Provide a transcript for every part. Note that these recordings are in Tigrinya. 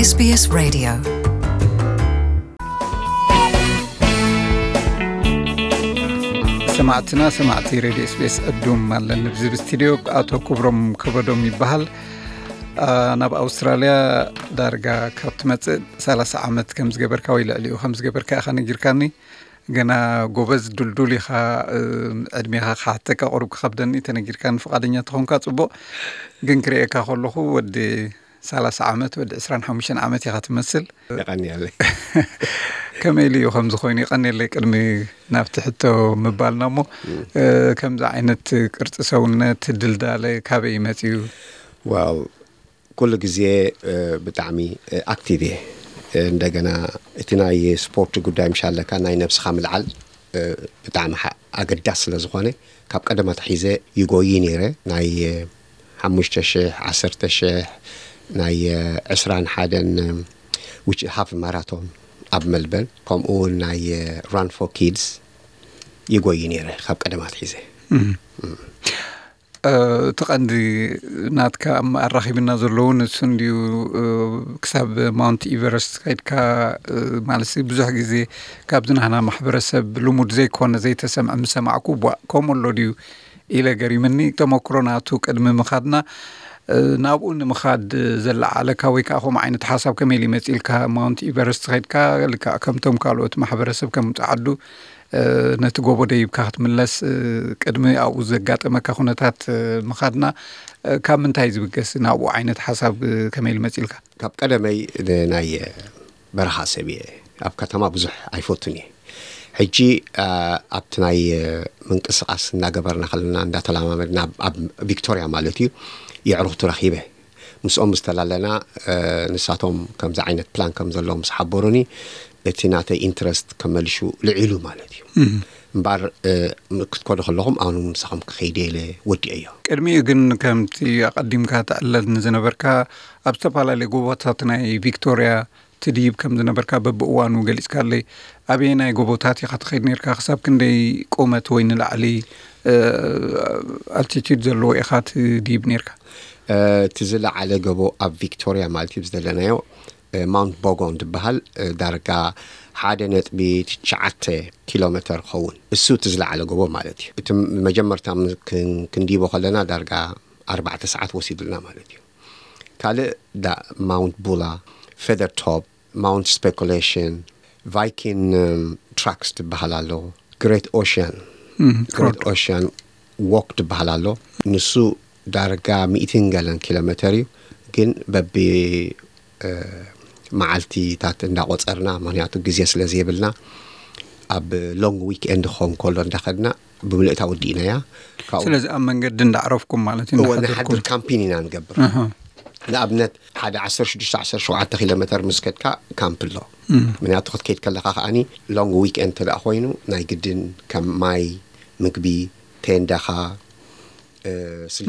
SBS Radio. ሰማዕትና ሰማዕቲ ሬድዮ ኤስቢኤስ ዕዱም ኣለኒ። ብዚ ብስቱድዮ ኣቶ ክብሮም ከበዶም ይበሃል። ናብ ኣውስትራልያ ዳርጋ ካብ ትመፅእ ሰላሳ ዓመት ከም ዝገበርካ ወይ ልዕሊኡ ከም ዝገበርካ ኢኻ ነጊርካኒ። ገና ጎበዝ ዱልዱል ኢኻ። ዕድሜኻ ክሓተካ ቁሩብ ክኸብደኒ ተነጊርካኒ። ፍቓደኛ ተኾንካ ፅቡቕ፣ ግን ክርእየካ ከለኹ ወዲ ሰላሳ ዓመት፣ ወዲ ዕስራን ሓሙሽተን ዓመት ኢኻ ትመስል። የቐንየለይ። ከመይ ኢሉ እዩ ከምዚ ኮይኑ? ይቐንየለይ። ቅድሚ ናብቲ ሕቶ ምባልና እሞ፣ ከምዚ ዓይነት ቅርፂ ሰውነት ድልዳለ ካበይ ይመፅዩ? ዋው፣ ኩሉ ግዜ ብጣዕሚ ኣክቲቭ እየ። እንደገና እቲ ናይ ስፖርት ጉዳይ ምሻለካ ናይ ነብስኻ ምልዓል ብጣዕሚ ኣገዳስ ስለ ዝኾነ፣ ካብ ቀደም ኣትሒዘ ይጎይ ነይረ። ናይ ሓሙሽተ ሽሕ፣ ዓሰርተ ሽሕ፣ ናይ ዕስራን ሓደን፣ which half marathon ኣብ መልበርን፣ ከምኡ እውን ናይ run for kids ይጎይ ነይረ ካብ ቀደም ኣትሒዘ። እቲ ቀንዲ ናትካ ኣራኺብና ዘለዉ ንሱ እንድዩ። ክሳብ ማውንት ኢቨረስት ከይድካ፣ ማለት ብዙሕ ግዜ ካብዚ ናህና ማሕበረሰብ ልሙድ ዘይኮነ ዘይተሰምዐ ምሰማዕኩ፣ ቧእ፣ ከምኡ ኣሎ ድዩ ኢለ ገሪምኒ። ተመክሮ ናቱ ቅድሚ ምኻድና፣ ናብኡ ንምኻድ ዘለዓለካ ወይ ከዓ ከምኡ ዓይነት ሓሳብ ከመይ ኢሉ ይመፅእ ኢልካ? ማውንት ኢቨረስት ከይድካ ልክዕ ከምቶም ካልኦት ማሕበረሰብ ከም ፃዓዱ ነቲ ጎቦ ደይብካ ክትምለስ፣ ቅድሚ ኣብኡ ዘጋጠመካ ኩነታት ምኻድና፣ ካብ ምንታይ ዝብገስ ናብኡ ዓይነት ሓሳብ ከመይ ኢሉ መፂልካ? ካብ ቀደመይ ናይ በረኻ ሰብ እየ። ኣብ ከተማ ብዙሕ ኣይፈቱን እየ። ሕጂ ኣብቲ ናይ ምንቅስቃስ እናገበርና ከለና፣ እንዳተለማመድና ኣብ ቪክቶሪያ ማለት እዩ፣ የዕሩኽቲ ረኺበ። ምስኦም ምስ ተላለና፣ ንሳቶም ከምዚ ዓይነት ፕላን ከም ዘለዎም ምስ ሓበሩኒ፣ እቲ ናተይ ኢንትረስት ከመልሹ ልዒሉ ማለት እዩ። እምበር ክትከዱ ከለኹም ኣኑ ምሳኹም ክኸይደ ኢለ ወዲኤዮ። ቅድሚኡ ግን ከምቲ ኣቐዲምካ ትዕለል ንዝነበርካ ኣብ ዝተፈላለዩ ጎቦታት ናይ ቪክቶሪያ ትድይብ ከም ዝነበርካ በብእዋኑ ገሊጽካለይ። ኣበየናይ ጎቦታት ኢኻ ትኸይድ ነርካ? ክሳብ ክንደይ ቁመት ወይ ንላዕሊ ኣልቲቱድ ዘለዎ ኢኻ ትድይብ ነርካ? እቲ ዝለዓለ ጎቦ ኣብ ቪክቶሪያ ማለት እዩ ዘለናዮ ማውንት ቦጎን ዝበሃል፣ ዳርጋ ሓደ ነጥቢ ትሽዓተ ኪሎ ሜተር ኸውን። እሱ እቲ ዝለዓለ ጎቦ ማለት እዩ። እቲ መጀመርታ ክንዲቦ ከለና ዳርጋ ኣርባዕተ ሰዓት ወሲዱልና ማለት እዩ። ካልእ ማውንት ቡላ፣ ፌደር ቶፕ፣ ማውንት ስፔኩሌሽን፣ ቫይኪን ትራክስ ዝበሃል ኣሎ፣ ግሬት ኦሽያን ግሬት ኦሽያን ዎክ ዝበሃል ኣሎ። ንሱ ዳርጋ ሚእትን ገለን ኪሎ ሜተር እዩ፣ ግን በቢ መዓልቲታት እንዳቆፀርና፣ ምክንያቱ ግዜ ስለ ዘይብልና፣ ኣብ ሎንግ ዊክኤንድ ክኸውን ከሎ እንዳኸድና ብምልእታ ወዲእናያ። ስለዚ ኣብ መንገዲ እንዳዕረፍኩም ማለት እዩ? ንሓድር ካምፒን ኢና ንገብር። ንኣብነት ሓደ ዓሰርተ ሽዱሽተ ዓሰርተ ሸውዓተ ኪሎ ሜተር ምስ ከድካ ካምፕ ኣሎ። ምክንያቱ ክትከይድ ከለካ ከዓኒ ሎንግ ዊክኤንድ እንተ ኮይኑ ናይ ግድን ከም ማይ፣ ምግቢ፣ ቴንዳኻ፣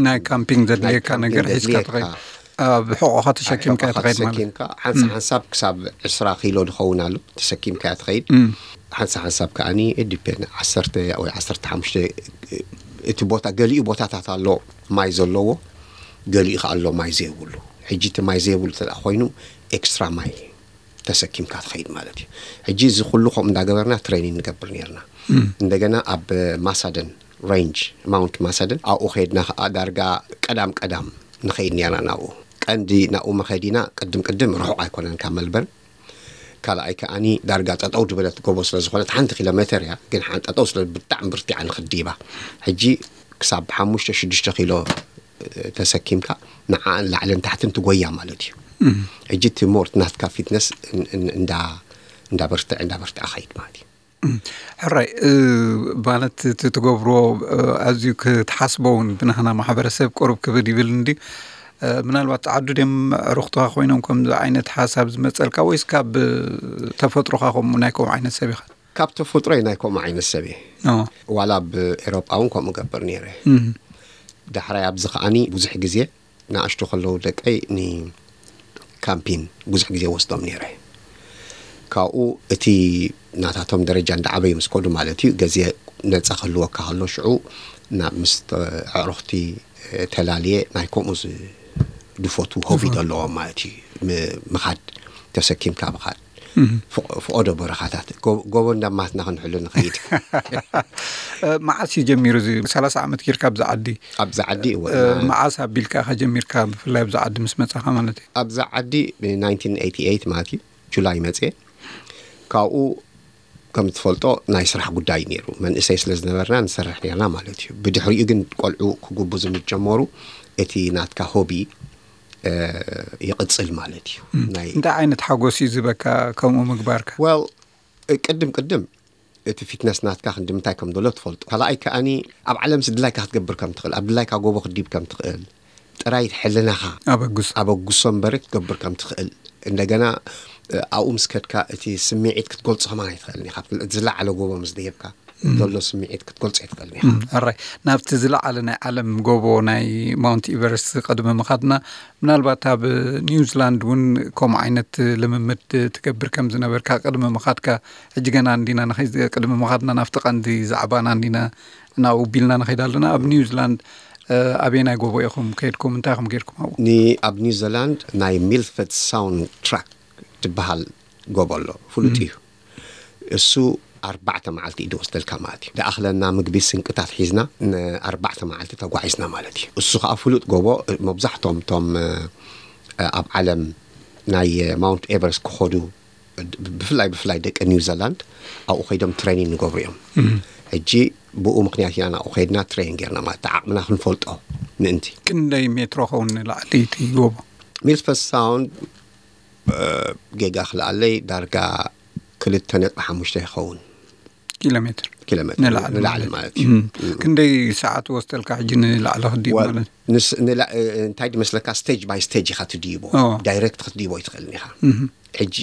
ናይ ካምፒንግ ዘድልየካ ነገር ሒዝካ ትኸይድ። ኣብ ሕቆኻ ተሸኪምካ ትኸይድ ማለት። ሓንሳብ ሓንሳብ ክሳብ ዕስራ ኪሎ ዝኸውን ኣሎ ተሰኪምካ ትኸይድ። ሓንሳብ ሓንሳብ ከዓኒ ዲፔን ዓሰርተ ወይ ዓሰርተ ሓሙሽተ፣ እቲ ቦታ፣ ገሊኡ ቦታታት ኣሎ ማይ ዘለዎ፣ ገሊኡ ከ ኣሎ ማይ ዘይብሉ። ሕጂ እቲ ማይ ዘይብሉ እንተ ኮይኑ ኤክስትራ ማይ ተሰኪምካ ትኸይድ ማለት እዩ። ሕጂ እዚ ኩሉ ከምኡ እንዳገበርና ትሬኒንግ ንገብር ነርና። እንደገና ኣብ ማሳደን ሬንጅ፣ ማውንት ማሳደን፣ ኣብኡ ከይድና ከዓ ዳርጋ ቀዳም ቀዳም ንኸይድ ነርና ናብኡ። ቀንዲ ናብኡ መኸዲና ቅድም ቅድም ርሑቕ ኣይኮነን ካብ መልበርን። ካልኣይ ከዓኒ ዳርጋ ጠጠው ዝበለት ጎቦ ስለ ዝኾነት ሓንቲ ኪሎ ሜተር እያ፣ ግን ሓን ጠጠው ስለ ብጣዕሚ ብርቲዓ ንኽዲባ። ሕጂ ክሳብ ሓሙሽተ ሽዱሽተ ኪሎ ተሰኪምካ ንዓን ላዕልን ታሕትን ትጎያ ማለት እዩ። ሕጂ እቲ ሞርት ናትካ ፊትነስ እንዳበርትዐ እንዳበርትዐ ኸይድ ማለት እዩ። ሕራይ ማለት እቲ ትገብርዎ ኣዝዩ ክትሓስቦ እውን ብናህና ማሕበረሰብ ቅሩብ ክብድ ይብል እንዲ። ምናልባት ዓዱ ድም ዕሩኽትኻ ኮይኖም ከምዚ ዓይነት ሓሳብ ዝመፀልካ ወይስ ካብ ተፈጥሮኻ ከምኡ ናይ ከምኡ ዓይነት ሰብ ኢኻ? ካብ ተፈጥሮይ ናይ ከምኡ ዓይነት ሰብ እየ። ዋላ ኣብ ኤሮጳ እውን ከምኡ ገብር ነይረ። ዳሕራይ ኣብዚ ከዓኒ ብዙሕ ግዜ ንኣሽቱ ከለዉ ደቀይ ንካምፒን ብዙሕ ግዜ ወስዶም ነይረ። ካብኡ እቲ ናታቶም ደረጃ እንዳዓበዩ ምስ ከዱ ማለት እዩ፣ ገዜ ነፃ ክህልወካ ከሎ ሽዑ ናብ ምስ ኣዕሩኽቲ ተላልየ ናይ ከምኡ ዝፈቱ ሆቢ ዘለዎም ማለት እዩ ምኻድ። ተሰኪምካ ምኻድ። ፍቕ- ፍቖዶ በረኻታት ጎ- ጎቦ እንዳማትና ክንሕሉ ንኸይድ። እ፣ መዓስ እዩ ጀሚሩ እዚ? ሰላሳ ዓመት ጌርካ ኣብዚ ዓዲ። ኣብዚ ዓዲ እወ፣ እ፣ መዓስ ኣቢልካ ኢኻ ጀሚርካ፣ ብፍላይ ኣብዚ ዓዲ ምስ መጻኻ ማለት እዩ? ኣብዚ ዓዲ ብ ናይንቲን ኤይቲ ኤይት ማለት እዩ፣ ጁላይ መጽየ። ካብኡ ከም ትፈልጦ ናይ ስራሕ ጉዳይ ነይሩ፣ መንእሰይ ስለ ዝነበርና ንሰርሕ ነርና ማለት እዩ። ብድሕሪኡ ግን ቆልዑ ክጉብዙ ምስ ጀመሩ እቲ ናትካ ሆቢ እ፣ ይቕጽል ማለት እዩ። ናይ እንታይ ዓይነት ሓጎስ እዩ ዝበካ ከምኡ ምግባርካ? ወል ቅድም ቅድም እቲ ፊትነስ ናትካ ክንዲ ምንታይ ከም ዘሎ ትፈልጡ። ካልኣይ ከኣኒ ኣብ ዓለምሲ ድላይካ ክትገብር ከም ትኽእል፣ ኣብ ድላይካ ጎቦ ክትዲብ ከም ትኽእል፣ ጥራይ ሕልናኻ ኣበጉስ ኣበጉሶ እምበር ክትገብር ከም ትኽእል። እንደገና እ፣ ኣብኡ ምስ ከድካ እቲ ስምዒት ክትገልጾ ከማን ኣይትኽእልን ኢኻ። እቲ ዝለዓለ ጎቦ ምስ ደየብካ ዘሎ ስምዒት ክትገልጾ ኣይትኽእልን ኢኻ። እም፣ ኣራይ፣ ናብቲ ዝለዓለ ናይ ዓለም ጎቦ ናይ ማውንት ኢቨረስት ቅድሚ ምኻድና፣ ምናልባት ኣብ ኒውዚላንድ እውን ከምኡ ዓይነት ልምምድ ትገብር ከም ዝነበርካ ቅድሚ ምኻድካ፣ ሕጂ ገና እንዲና ንኸይ- ቅድሚ ምኻድና ናብቲ ቀንዲ ዛዕባና እንዲና ናብኡ ቢልና ንኸይድ ኣለና። ኣብ ኒውዚላንድ እ፣ ኣበየናይ ጎቦ ኢኹም ከይድኩም? እንታይ ኢኹም ጌርኩም ኣብኡ? ኒ ኣብ ኒውዚላንድ ናይ ሚልፈርድ ሳውንድ ትራክ ትበሃል ጎቦ ኣሎ፣ ፍሉጥ እዩ። እሱ ኣርባዕተ መዓልቲ እዩ ዝወስደልካ ማለት እዩ። ዝኣኽለና ምግቢ ስንቅታት ሒዝና ንኣርባዕተ መዓልቲ ተጓዒዝና ማለት እዩ። እሱ ከዓ ፍሉጥ ጎቦ፣ መብዛሕቶም ቶም እ፣ ኣብ ዓለም ናይ ማውንት ኤቨረስት ክኸዱ፣ ብፍላይ ብፍላይ ደቂ ኒውዚላንድ ኣብኡ ከይዶም ትሬኒን ንገብሩ እዮም። ሕጂ ብኡ ምክንያት ኢና ናብኡ ከይድና ትሬን ጌርና ማለት ዓቕምና ክንፈልጦ ምእንቲ። ክንደይ ሜትሮ ኸውን ንላዕሊ እቲ ጎቦ? ሚልፈርድ ሳውንድ እ፣ ጌጋ ክልኣለይ ዳርጋ ክልተ ነጥቢ ሓሙሽተ ይኸውን። ኪሎ ሜትር ኪሎ ሜትር ንላዕሊ ንላዕሊ ማለት ማለት እዩ። እም። ክንደይ ሰዓት ወስደልካ ሕጂ ንላዕሊ ክዲብ ወል- ማለት? ንስ- ንላ- እ፣ እንታይ ድመስለካ፣ ስቴጅ ባይ ስቴጅ ኢኻ ትድይቦ። ኦ። ዳይሬክት ክትድይቦ ይትኽእልን ኢኻ። ሕጂ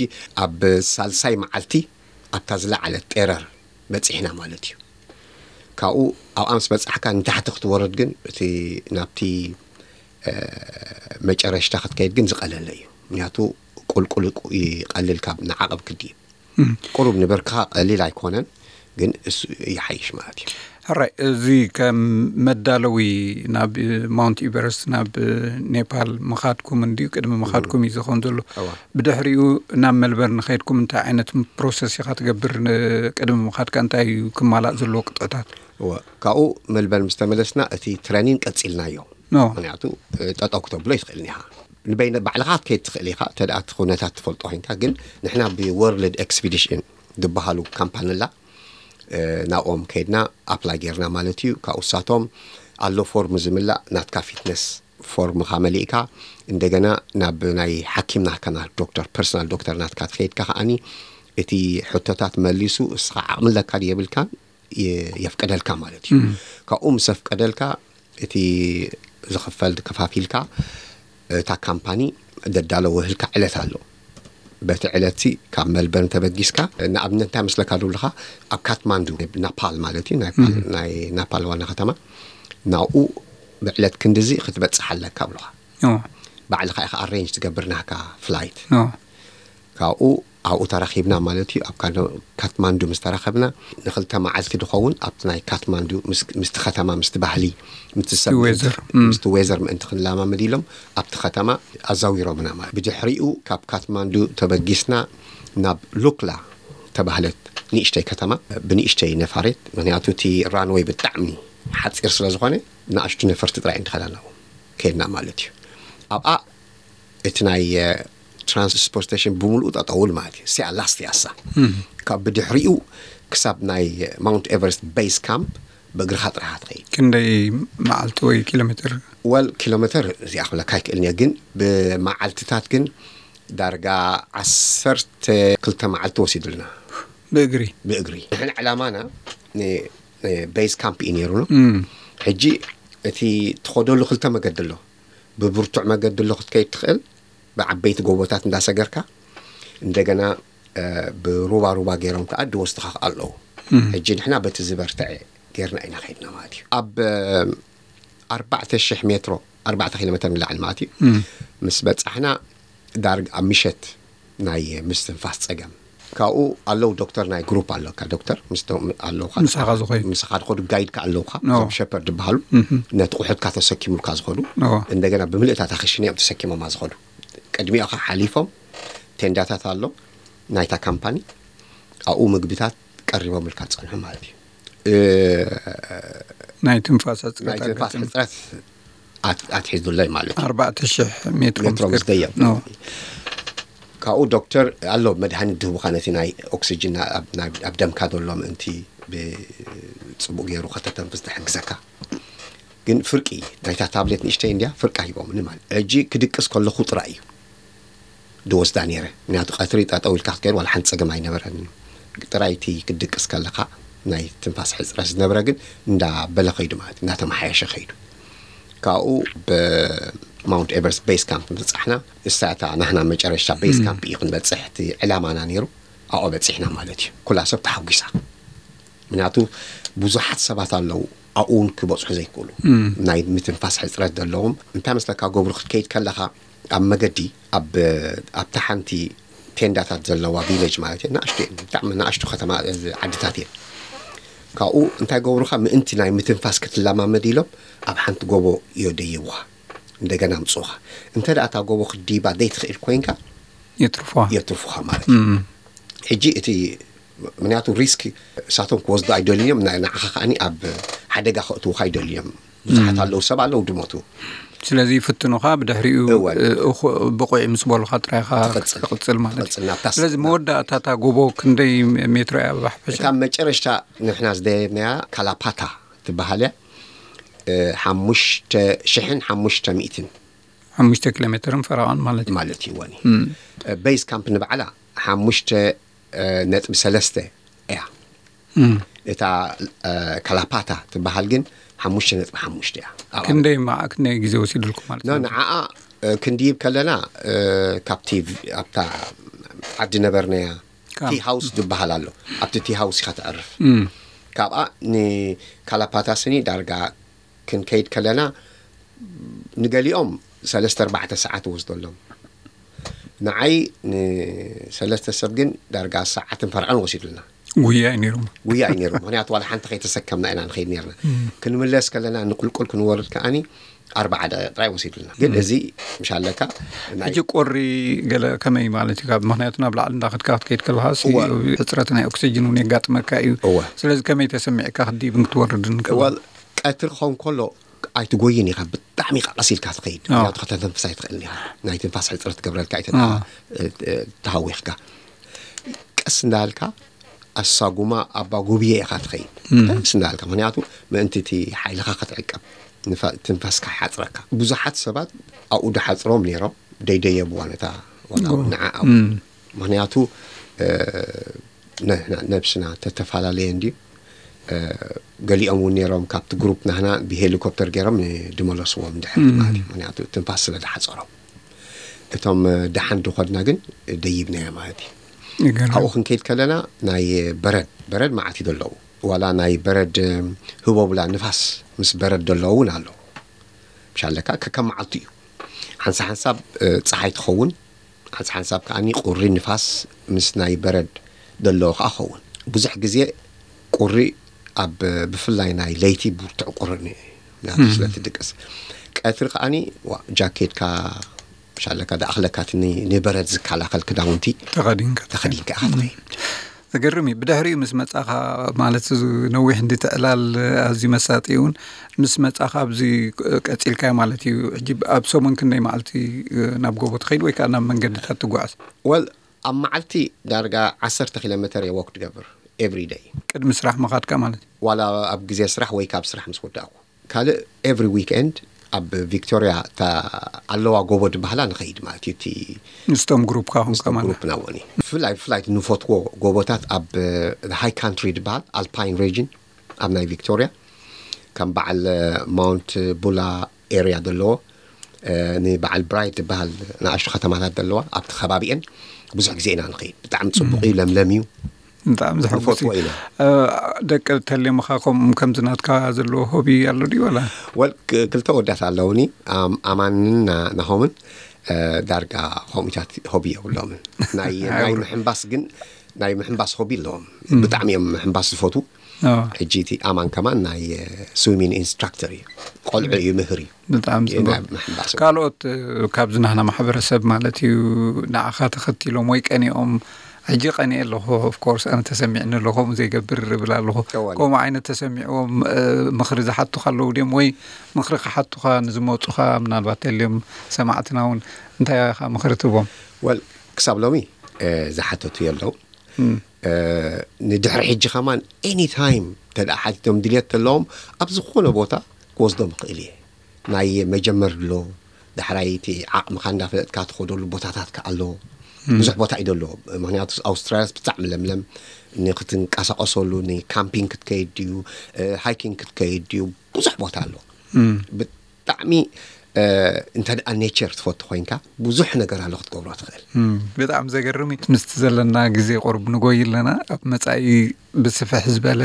ኣብ ሳልሳይ መዓልቲ ኣብታ ዝለዓለት ጤረር በፂሕና ማለት እዩ። ካብኡ ኣብኣ ምስ በፃሕካ ንታሕቲ ክትወርድ ግን እቲ ናብቲ እ፣ መጨረሽታ ክትከይድ ግን ዝቐለለ እዩ። ምክንያቱ ቁልቁል ይቀልል ካብ ንዓቐብ ክድይብ። ቁሩብ ንብርክኻ ቀሊል ኣይኮነን፣ ግን እሱ ይሓይሽ ማለት እዩ። ሕራይ፣ እዚ ከም መዳለዊ ናብ ማውንት ኢቨረስት ናብ ኔፓል ምኻድኩም እንድዩ፣ ቅድሚ ምኻድኩም እዩ ዝኸውን ዘሎ። እዋ። ብድሕሪኡ ናብ መልበርን ከይድኩም እንታይ ዓይነት ፕሮሰስ ኢኻ ትገብር? ን- ቅድሚ ምኻድካ እንታይ እዩ ክማላእ ዘለዎ ቅጥዕታት? እወ፣ ካብኡ መልበርን ምስ ተመለስና እቲ ትረኒን ቀጺልናዮ። ኖ። ምክንያቱ እ፣ ጠጠው ክተብሎ ይትኽእልን ኢኻ። ንበይነ ባዕልኻ ክትከይድ ትኽእል ኢኻ፣ እንተ ደኣ እቲ ኩነታት ትፈልጦ ኮይንካ። ግን ንሕና ብወርልድ ኤክስፒዲሽን ዝበሃሉ ካምፓኒ ኣላ፣ እ፣ ናብኦም ከይድና ኣፕላይ ጌርና ማለት እዩ። ካብኡ ንሳቶም ኣሎ ፎርም ዝምላእ፣ ናትካ ፊትነስ ፎርምኻ መሊእካ፣ እንደገና ናብ ናይ ሓኪም ናትካ፣ ናብ ዶክተር፣ ፐርሰናል ዶክተር ናትካ ትኸይድካ ከኣኒ እቲ ሕቶታት መሊሱ፣ እስኻ ዓቕሚ ኣለካ ድዩ የብልካን የ-፣ የፍቀደልካ ማለት እዩ። ካብኡ ምስ ኣፍቀደልካ፣ እቲ ዝኽፈል ከፋፊልካ፣ እታ ካምፓኒ ደዳለወህልካ ዕለት ኣሎ። በቲ ዕለትሲ ካብ መልበርን ተበጊስካ፣ ንኣብነት እንታይ መስለካ ዶ ኣለኻ፣ ኣብ ካትማንዱ፣ ናፓል ማለት እዩ፣ ናይ ፓል-፣ ናይ ናፓል ዋና ከተማ፣ ናብኡ ብዕለት ክንድዚ ክትበጽሕ ኣለካ ብለኻ። ኦ። ባዕልኻ ኢኻ ኣሬንጅ ትገብር ናህካ ፍላይት። ኦ። ካብኡ ኣብኡ ተራኺብና ማለት እዩ። ኣብ ካዶ-፣ ካትማንዱ ምስ ተራኸብና፣ ንኽልተ መዓልቲ ድኸውን ኣብቲ ናይ ካትማንዱ ምስ-፣ ምስቲ ከተማ፣ ምስቲ ባህሊ፣ ምስቲ ሰብ፣ ዌዘር። እም። ምስቲ ዌዘር ምእንቲ ክንለማመድ ኢሎም ኣብቲ ከተማ ኣዛዊሮምና ማለት። ብድሕሪኡ ካብ ካትማንዱ ተበጊስና ናብ ሉክላ ተባህለት ንእሽተይ ከተማ፣ ብንእሽተይ ነፋሪት፣ ምኽንያቱ እቲ ራንወይ ብጣዕሚ ሓጺር ስለ ዝኾነ፣ ንኣሽቱ ነፈርቲ ጥራይ እንተኸዳ ናብኡ ከይድና ማለት እዩ። ኣብኣ እቲ ናይ፣ እ፣ ትራንስፖርቴሽን ብምሉኡ ጠጠውል ማለት እዩ። ሲያ ላስት ያሳ። ካብ ብድሕሪኡ ክሳብ ናይ ማውንት ኤቨረስት ቤዝ ካምፕ ብእግርኻ ጥራኻ ትኸይድ። ክንደይ መዓልቲ ወይ ኪሎ ሜትር? ወል ኪሎ ሜትር እዚኣ ክብለካ ኣይክእልን እየ፣ ግን ብመዓልትታት ግን ዳርጋ ዓሰርተ ክልተ መዓልቲ ወሲዱልና። ብእግሪ? ብእግሪ። ንሕና ዕላማና ን-፣ ን-፣ ቤዝ ካምፕ እዩ ነይሩ ነው። እም። ሕጂ እቲ ትኸደሉ ክልተ መገዲ ኣሎ። ብብርቱዕ መገዲ ኣሎ ክትከይድ ትኽእል፣ ብዓበይቲ ጎቦታት እንዳሰገርካ፣ እንደገና፣ እ፣ ብሩባ ሩባ ገይሮም ከኣ ድወስድኻ ኣለዉ። እም። ሕጂ ንሕና በቲ ዝበርትዐ ጌርና ኢና ከይድና ማለት እዩ። ኣብ፣ እ፣ ኣርባዕተ ሽሕ ሜትሮ፣ ኣርባዕተ ኪሎ ሜትር ንላዕሊ ማለት እዩ። እም። ምስ በጻሕና ዳርግ ኣብ ምሸት ናይ ምስትንፋስ ጸገም። ካብኡ ኣለዉ ዶክተር፣ ናይ ግሩፕ ኣለካ ዶክተር፣ ምስቶም ኣለውካ። ምሳኻ ዝኸዱ። ምሳኻ ዝኸዱ ጋይድካ ኣለውካ፣ ኖ። እዞም ሸፐርድ ዝበሃሉ፣ እምም። ነቲ ቁሑትካ ተሰኪሙልካ ዝኸዱ። ኖ። እንደገና ብምልእታ እታ ክሽነ እዮም ተሰኪሞማ ዝኸዱ። ቅድሚኦኻ ሓሊፎም፣ እቲ ቴንዳታት ኣሎ ናይታ ካምፓኒ፣ ኣብኡ ምግብታት ቀሪቦምልካ ዝጸንሑ ማለት እዩ። እ፣ ናይ ትንፋስ ሕጽረት ናይ ትንፋስ ኣጋጥም ሕጽረት ኣት- ኣትሒዙለይ ማለት እዩ። ኣርባዕተ ሽሕ ሜትሮ ሜትሮ ምስ ደየብ ኖ ካብኡ ዶክተር ኣሎ መድሃኒት ድህቡኻ ነቲ ናይ ኦክሲጅን ኣብ- ናብ- ኣብ ደምካ ዘሎ ምእንቲ ብጽቡቅ ገይሩ ከተተንፍስ ዝሕግዘካ። ግን ፍርቂ ናይታ ታብሌት ንእሽተይ እንድያ ፍርቃ ሂቦምኒ ማለት ሕጂ ክድቅስ ከለኹ ጥራይ እዩ ድወስዳ ነይረ። ምክንያቱ ቀትሪ ጠጠው ኢልካ ክትከይድ ዋላ ሓንቲ ጸገም ኣይነበረን። ጥራይ እቲ ክድቅስ ከለኻ ናይ ትንፋስ ሕፅረት ዝነበረ ግን እንዳበለ ከይዱ ማለት እንዳተመሓየሸ ከይዱ። ካብኡ ብማውንት ኤቨረስት ቤስ ካምፕ ምብፃሕና እሳ እታ ናህና መጨረሻ ቤስ ካምፕ እዩ ክንበፅሕ እቲ ዕላማና ነይሩ። ኣብኡ በፂሕና ማለት እዩ። ኩላ ሰብ ተሓጒሳ። ምክንያቱ ብዙሓት ሰባት ኣለዉ ኣብኡ እውን ክበፅሑ ዘይክእሉ ናይ ምትንፋስ ሕፅረት ዘለዎም። እንታይ መስለካ ገብሩ ክትከይድ ከለኻ ኣብ መገዲ ኣብ ኣብታ ሓንቲ ቴንዳታት ዘለዋ ቪሌጅ ማለት እዩ። ንኣሽቱ እየን፣ ብጣዕሚ ንኣሽቱ ከተማ ዓድታት እየን። ካብኡ እንታይ ገብሩኻ ምእንቲ ናይ ምትንፋስ ክትለማመድ ኢሎም ኣብ ሓንቲ ጎቦ እዮ ደይብኻ እንደገና ምፅኡኻ። እንተ ደኣ እታ ጎቦ ክትድይባ ዘይትኽእል ኮይንካ የትርፎ የትርፉኻ ማለት እዩ። ሕጂ እቲ ምክንያቱ ሪስክ እሳቶም ክወስዱ ኣይደልዮም፣ ንዓኻ ከዓኒ ኣብ ሓደጋ ከእትውኻ ኣይደልዮም። ብዙሓት ኣለዉ፣ ሰብ ኣለዉ ድሞቱ። ስለዚ ይፍትኑኻ፣ ብድሕሪኡ እወ። እ፣ እኹ- ብቑዕ ምስ በሉኻ ጥራይኻ ትቕጽል። ትቕጽል ማለት እዩ። ትቕጽል ናብታ ስ- ስለዚ መወዳእታ እታ ጎቦ ክንደይ ሜትሮ እያ ብሓፈሻ? እታ መጨረሽታ ንሕና ዝደየብናያ ካላፓታ ትበሃል እያ። እ፣ ሓሙሽተ ሽሕን ሓሙሽተ ሚእትን ሓሙሽተ ኪሎ ሜትርን ፈረቓን ማለት እዩ። ማለት እዩ። ወኒ ቤዝ ካምፕ ንባዕላ ሓሙሽተ ነጥቢ ሰለስተ እያ። እታ ካላፓታ ትበሃል ግን ሓሙሽተ ነጥቢ ሓሙሽተ እያ። ኣብኣ ክንደይ ማ ክንደይ ግዜ ወሲድልኩም ማለት ኖ እዩ? ንዓኣ ክንድይብ ከለና ካብቲ ኣብታ ዓዲ ነበርናያ ካምፕ። ቲ ሃውስ ዝበሃል ኣሎ። ኣብቲ ቲ ሃውስ ኢኻ ተዕርፍ። እም። ካብኣ ንካላፓታ ስኒ ዳርጋ ክንከይድ ከለና ንገሊኦም ሰለስተ ኣርባዕተ ሰዓት ወስደሎም። ንዓይ ንሰለስተ ሰብ ግን ዳርጋ ሰዓትን ፈርዕን ወሲዱልና። ጉያ እዩ ነይሩ። ጉያ እዩ ነይሩ። ምክንያቱ ዋላ ሓንቲ ከይተሰከምና ኢና ንኸይድ ነርና። ክንምለስ ከለና ንቁልቁል ክንወርድ ከዓኒ ኣርባዓ ደቂቕ ጥራይ ወሲዱልና። ግን እዚ ምሻለካ ናይ ሕጂ ቁሪ ገለ ከመይ ማለት እዩ? ካብ ምክንያቱ ናብ ላዕሊ እንዳኸድካ ክትከይድ ከለካ ሲ- እወ። ሕፅረት ናይ ኦክሲጅን እውን የጋጥመካ እዩ። እወ። ስለዚ ከመይ ተሰሚዕካ ክትድይብ ክትወርድን ከሎ? ወል ቀትሪ ክኸውን ከሎ ኣይትጎይን ኢኻ፣ ብጣዕሚ ኢኻ ቀስ ኢልካ ትኸይድ። ኣዎ። ምክንያቱ ከተተንፍስ ኣይትኽእልን ኢኻ። ናይ ትንፋስ ሕፅረት ትገብረልካ እዩ። ኣዎ። ተሃዊኽካ ቀስ እንዳልካ ኣሳጉማ ኣባ ጉብየ ኢኻ ትኸይድ። ቀስ እንዳልካ፣ ምክንያቱ ምእንቲ እቲ ሓይልኻ ክትዕቀብ፣ ንፋ- ትንፋስካ ይሓፅረካ። ብዙሓት ሰባት ኣብኡ ድሓፅሮም ነይሮም ደይደየብዋ ነታ ዋላ እውን ንዓ ኣብኡ። ምክንያቱ እ፣ ንሕና ነብስና ተተፈላለየ እንድዩ። እ፣ ገሊኦም እውን ነይሮም ካብቲ ግሩፕ ናህና ብሄሊኮፕተር ገይሮም ድመለስዎም ድሕር ማለት እዩ። ምክንያቱ ትንፋስ ስለ ድሓፀሮም። እቶም እ፣ ደሓን ድኾድና ግን ደይብናዮ ማለት እዩ። ይገርም። ኣብኡ ክንከይድ ከለና ናይ በረድ በረድ መዓት እዩ ዘለዉ። ዋላ ናይ በረድ እ፣ ህቦብላ ንፋስ ምስ በረድ ዘለዎ እውን ኣሎ። ምሻለካ ከከም መዓልቱ እዩ። ሓንሳ ሓንሳብ እ፣ ፀሓይ ትኸውን፣ ሓንሳ ሓንሳብ ከዓኒ ቁሪ ንፋስ ምስ ናይ በረድ ዘለዎ ከዓ ኸውን። ብዙሕ ግዜ ቁሪ ኣብ ብፍላይ ናይ ለይቲ ብርቱዕ ቁሪ ን- ናቱ ስለ ትድቅስ፣ ቀትሪ ከዓኒ ዋ- ጃኬትካ ምሻለካ ደኣኽለካ እቲ ን- ንበረድ ዝከላኸል ክዳውንቲ ተኸዲንካ ተኸዲንካ ኢኻ ትኸይድ። ዘገርም እዩ። ብድሕሪኡ ምስ መጻኻ ማለት እዚ ነዊሕ እንዲ ትዕላል ኣዝዩ መሳጢ እውን ምስ መጻኻ ኣብዚ ቀጺልካዮ ማለት እዩ። ሕጂ ኣብ ሰሙን ክንደይ መዓልቲ ናብ ጎቦ ትኸይድ ወይ ከዓ ናብ መንገድታት ትጓዓዝ? ወል ኣብ መዓልቲ ዳርጋ ዓሰርተ ኪሎ ሜተር እየ ወክ ትገብር ኤቭሪ ደይ። ቅድሚ ስራሕ ምኻድካ ማለት እዩ። ዋላ ኣብ ግዜ ስራሕ ወይ ካብ ስራሕ ምስ ወዳእኩ ካልእ ኤቭሪ ዊክኤንድ ኣብ ቪክቶሪያ እታ ኣለዋ ጎቦ ድበሃላ ንኸይድ ማለት እዩ። እቲ ምስቶም ግሩፕካ ኹንካ ምስቶም ማለት ግሩፕ ናወኒ ብፍላይ ብፍላይ ንፈትዎ ጎቦታት ኣብ ሃይ ካንትሪ ድበሃል ኣልፓይን ሬጅን ኣብ ናይ ቪክቶሪያ ከም በዓል ማውንት ቡላ ኤርያ ዘለዎ እ፣ ንበዓል ብራይት ዝበሃል ንኣሽቱ ከተማታት ዘለዋ ኣብቲ ከባቢኤን ብዙሕ ግዜ ኢና ንኸይድ። ብጣዕሚ ፅቡቅ እዩ፣ ለምለም እዩ። ብጣዕሚ ዘሐጉስ ንፈትዎ እዩ። ኢና። እ፣ ደቂ ተሌምኻ ከምኡ ከምዚ ናትካ ዘለዎ ሆቢ ኣሎ ድዩ ወላ? ወል ክ- ክልተ ወዳት ኣለውኒ ኣም- ኣማንን ና- ናሆምን እ፣ ዳርጋ ከምኡታት ሆቢ የብሎምን። ናይ ናይ ኣይብሉ። ምሕንባስ ግን ናይ ምሕንባስ ሆቢ ኣለዎም። ብጣዕሚ እዮም ምሕንባስ ዝፈትዉ። ሕጂ እቲ ኣማን ከማን ናይ ስዊሚንግ ኢንስትራክተር እዩ። ቆልዑ እዩ ምህር እዩ። ብጣዕሚ ጽቡቅ። ካልኦት ካብዚ ናህና ማሕበረሰብ ማለት እዩ ንዓኻ ተኸቲሎም ወይ ቀኒኦም፣ ሕጂ ቀኒኤ ኣለኹ፣ ኦፍኮርስ ኣነ ተሰሚዕኒ ኣሎ፣ ከምኡ ዘይገብር እብል ኣለኹ። ከምኡ ዓይነት ተሰሚዕዎም ምኽሪ ዝሓቱኻ ኣለዉ ድዮም? ወይ ምኽሪ ክሓቱኻ ንዝመፁኻ ምናልባት ተልዮም ሰማዕትና እውን እንታይ ኢኻ ምኽሪ ትቦም? ወል ክሳብ ሎሚ ዝሓተቱ የለው። ንድሕሪ ሕጂ ከማን ኤኒታይም ተደኣ ሓቲቶም ድልየት ተለዎም ኣብ ዝኾነ ቦታ ክወስዶም ይኽእል እየ። ናይ መጀመር ድሎ ዳሕራይ እቲ ዓቕምኻ እንዳፈለጥካ ትኸደሉ ቦታታት ከ ኣሎ። ብዙሕ ቦታ እዩ ደሎ። ምክንያቱ ኣውስትራልያስ ብጣዕሚ ለምለም፣ ንክትንቀሳቀሰሉ ንካምፒንግ ክትከይድ ድዩ፣ ሃይኪንግ ክትከይድ ድዩ፣ ብዙሕ ቦታ ኣሎ። ብጣዕሚ እንተ ደኣ ኔቸር ትፈቱ ኮይንካ ብዙሕ ነገር ኣሎ ክትገብሮ ትኽእል። ብጣዕሚ ዘገርም እዩ። ምስቲ ዘለና ግዜ ቁሩብ ንጎይ ኣለና። ኣብ መጻኢ ብስፍሕ ዝበለ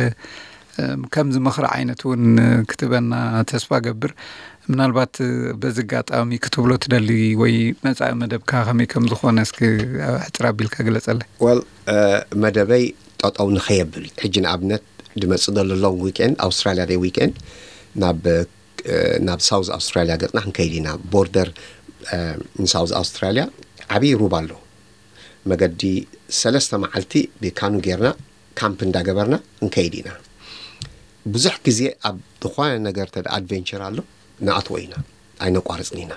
ከምዚ ምኽሪ ዓይነት እውን ክትበና ተስፋ ገብር። ምናልባት በዚ ኣጋጣሚ ክትብሎ ትደሊ ወይ መጻኢ መደብካ ከመይ ከም ዝኾነ እስኪ ሕጽር ኣቢልካ ግለጸለይ። ወል መደበይ ጠጠው ንኸየብል ሕጂ ንኣብነት ድመጽእ ዘሎ ሎንግ ዊኬንድ ኣውስትራልያ ደይ ዊኬንድ ናብ ናብ ሳውዝ ኣውስትራልያ ገጽና ክንከይድ ኢና። ቦርደር ንሳውዝ ኣውስትራልያ ዓብዪ ሩባ ኣሎ። መገዲ ሰለስተ መዓልቲ ብካኑ ጌርና ካምፕ እንዳገበርና ክንከይድ ኢና። ብዙሕ ግዜ ኣብ ዝኾነ ነገር ተደ ኣድቨንቸር ኣሎ ንኣትዎ ኢና፣ ኣይነቋርፅን ኢና።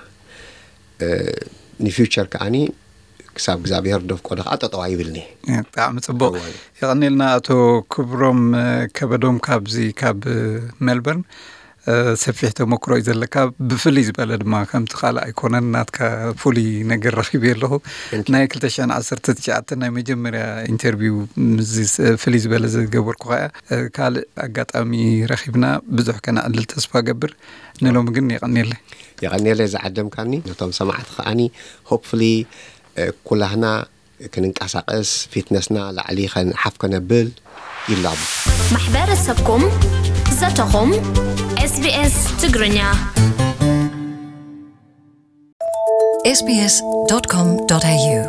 ንፊውቸር ከዓኒ ክሳብ እግዚኣብሔር ደፍቆዶ ከዓ ጠጠው ኣይብልኒ። ብጣዕሚ ፅቡቅ። የቐኔልና ኣቶ ክብሮም ከበዶም ካብዚ ካብ ሜልበርን። ሰፊሕ ተመክሮ እዩ ዘለካ። ብፍልይ ዝበለ ድማ ከምቲ ካልእ ኣይኮነን ናትካ ፍሉይ ነገር ረኺበ ኣለኹ። ናይ ክልተ ሽሕን ዓሰርተ ትሽዓተን ናይ መጀመርያ ኢንተርቪው ምስዚ ፍልይ ዝበለ ዝገበርኩ ከኣ ካልእ ኣጋጣሚ ረኺብና ብዙሕ ከነዕልል ተስፋ ገብር። ንሎሚ ግን የቐኔለይ። የቐኔለይ ዝዓደምካኒ ነቶም ሰማዕቲ ከኣኒ ሆፕፍሊ ኩላህና ክንንቀሳቀስ ፊትነስና ላዕሊ ከንሓፍ ከነብል ይላቡ። ማሕበረሰብኩም ዘተኹም ኤስቢኤስ ትግርኛ sbs.com.au